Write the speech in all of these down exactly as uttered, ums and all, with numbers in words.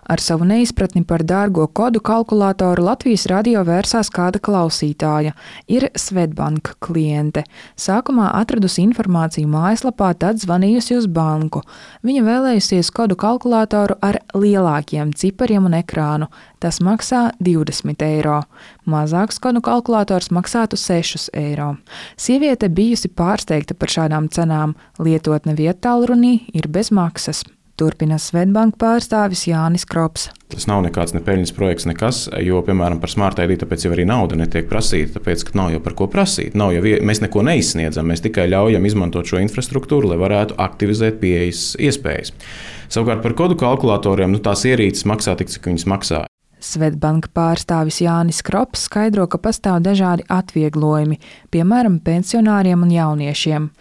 Ar savu neizpratni par dārgo kodu kalkulātoru Latvijas radio vērsās kāda klausītāja. Ir Swedbank kliente. Sākumā atradusi informāciju mājaslapā, tad zvanījusi uz banku. Viņa vēlējusies kodu kalkulātoru ar lielākiem cipariem un ekrānu. Tas maksā divdesmit eiro. Mazāks kodu kalkulators maksātu sešus eiro. Sieviete bijusi pārsteigta par šādām cenām. Lietotne viettālrunī ir bez maksas. Turpina Swedbank pārstāvis Jānis Krops. Tas nav nekāds ne peļņas projekts, nekas, jo, piemēram, par Smart I D tāpēc jau arī nauda netiek prasīta, tāpēc, ka nav jau par ko prasīt. Nav jau, mēs neko neizsniedzam, mēs tikai ļaujam izmantot šo infrastruktūru, lai varētu aktivizēt pieejas iespējas. Savukārt par kodu kalkulatoriem, nu, tās ierīces maksā tik, cik viņas maksā. Swedbank pārstāvis Jānis Krops skaidro, ka pastāv dažādi atvieglojumi, piemēram, pensionāriem un jauniešiem.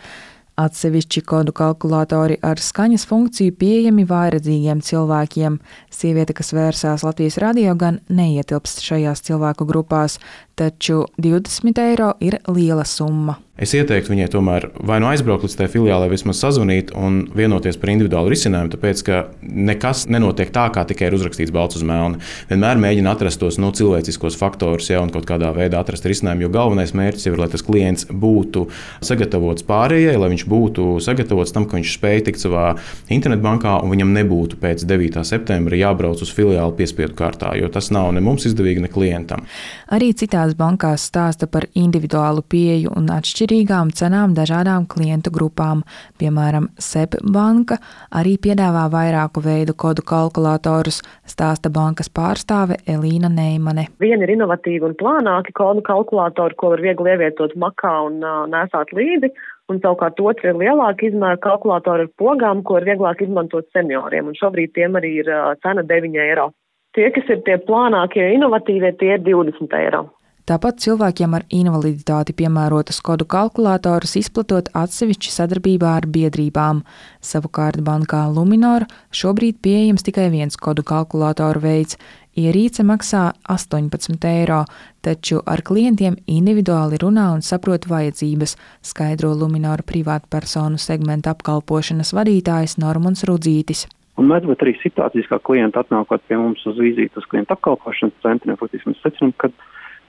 Atsevišķi kodu kalkulatori ar skaņas funkciju pieejami vājredzīgiem cilvēkiem. Sieviete, kas vērsās Latvijas radio, gan neietilpst šajās cilvēku grupās, taču divdesmit eiro ir liela summa. Es ieteiktu viņai tomēr vai nu aizbraukt līdz tajā filiālē, vismaz sazvanīt un vienoties par individuālu risinājumu, tāpēc, ka nekas nenotiek tā, kā tikai ir uzrakstīts balts uz melna. Vienmēr mēģina atrast tos no cilvēciskos faktorus, ja, un kaut kādā veidā atrast risinājumu, jo galvenais mērķis ir, lai tas klients būtu sagatavots pārējai, lai viņš būtu sagatavots tam, ka viņš spēj tikt savā internetbankā un viņam nebūtu pēc devītā septembra jābrauc uz filiāli piespiedu kārtā, jo tas nav ne mums izdevīgi, ne klientam. Arī citās bankās stāsta par individuālu pieeju un atšķirīgām cenām dažādām klientu grupām. Piemēram, SEB banka arī piedāvā vairāku veidu kodu kalkulatorus, stāsta bankas pārstāve Elīna Neimane. Vieni ir inovatīvi un plānāki kodu kalkulatori, ko var viegli ievietot makā un uh, nesāt līdzi, un savukārt otri ir lielāki izmēra kalkulatori ar pogām, ko ir vieglāk izmantot senioriem, un šobrīd tiem arī ir uh, cena deviņi eiro. Tie, kas ir tie plānākie, inovatīvie, tie ir divdesmit eiro. Tāpat cilvēkiem ar invaliditāti piemērotus kodu kalkulatorus izplatot atsevišķi sadarbībā ar biedrībām. Savukārt bankā Luminor šobrīd pieejams tikai viens kodu kalkulatoru veids. Ierīce maksā astoņpadsmit eiro, taču ar klientiem individuāli runā un saprot vajadzības, skaidro Luminor privātpersonu segmenta apkalpošanas vadītājs Normons Rudzītis. Un mēs būt arī situācijas, kā klienti atnākot pie mums uz vizīti uz klientu apkalpošanas centriem, faktiski mēs secinām, ka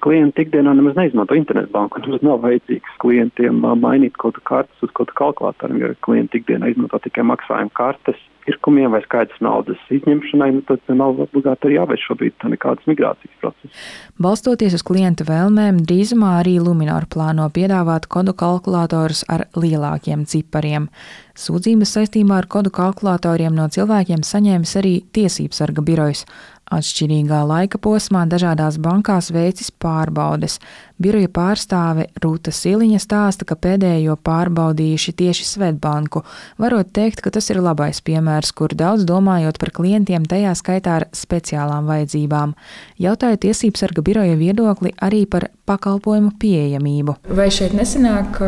klienti ikdienā nemaz neizmanto internetbanku, nemaz nav vajadzīgs klientiem mainīt kaut kartes uz kaut kalkulatoriem, jo klienti ikdienā izmanto tikai maksājuma kartes pirkumiem vai skaidrs naudas izņemšanai, nu tad nav obligāti arī jāveic šobrīd nekādas migrācijas procesas. Balstoties uz klienta vēlmēm, drīzumā arī Luminor plāno piedāvāt kodu kalkulatorus ar lielākiem cipariem. Sūdzības saistībā ar kodu kalkulatoriem no cilvēkiem saņēmis arī Tiesībsarga birojs. Atšķirīgā laika posmā dažādās bankās veicis pārbaudes. Biroja pārstāve Rūta Siliņa stāsta, ka pēdējo pārbaudījuši tieši Swedbanku. Varot teikt, ka tas ir labais piemērs, kur daudz domājot par klientiem, tajā skaitā ar speciālām vajadzībām. Jautāja Tiesībsarga biroja viedokli arī par pakalpojumu pieejamību. Vai šeit nesanāk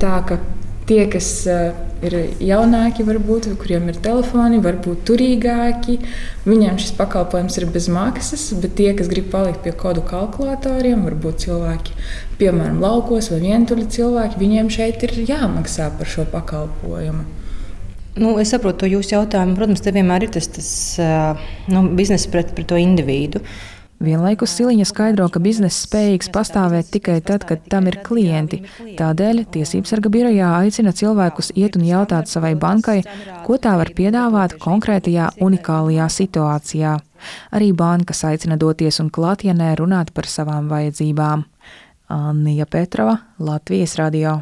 tā, ka tie, kas ir jaunāki, varbūt, kuriem ir telefoni, varbūt turīgāki, viņiem šis pakalpojums ir bez maksas, bet tie, kas grib palikt pie kodu kalkulatoriem, varbūt cilvēki, piemēram, laukos vai vientuļi cilvēki, viņiem šeit ir jāmaksā par šo pakalpojumu. Nu, es saprotu to jūsu jautājumu. Protams, te vienmēr ir tas, tas nu, bizness pret, pret to individu. Vienlaikus Siliņa skaidro, ka bizness spējīgs pastāvēt tikai tad, kad tam ir klienti. Tādēļ Tiesībsarga birojā aicina cilvēkus iet un jautāt savai bankai, ko tā var piedāvāt konkrētajā unikālajā situācijā. Arī bankas aicina doties un klātienē runāt par savām vajadzībām. Annija Petrova, Latvijas radio.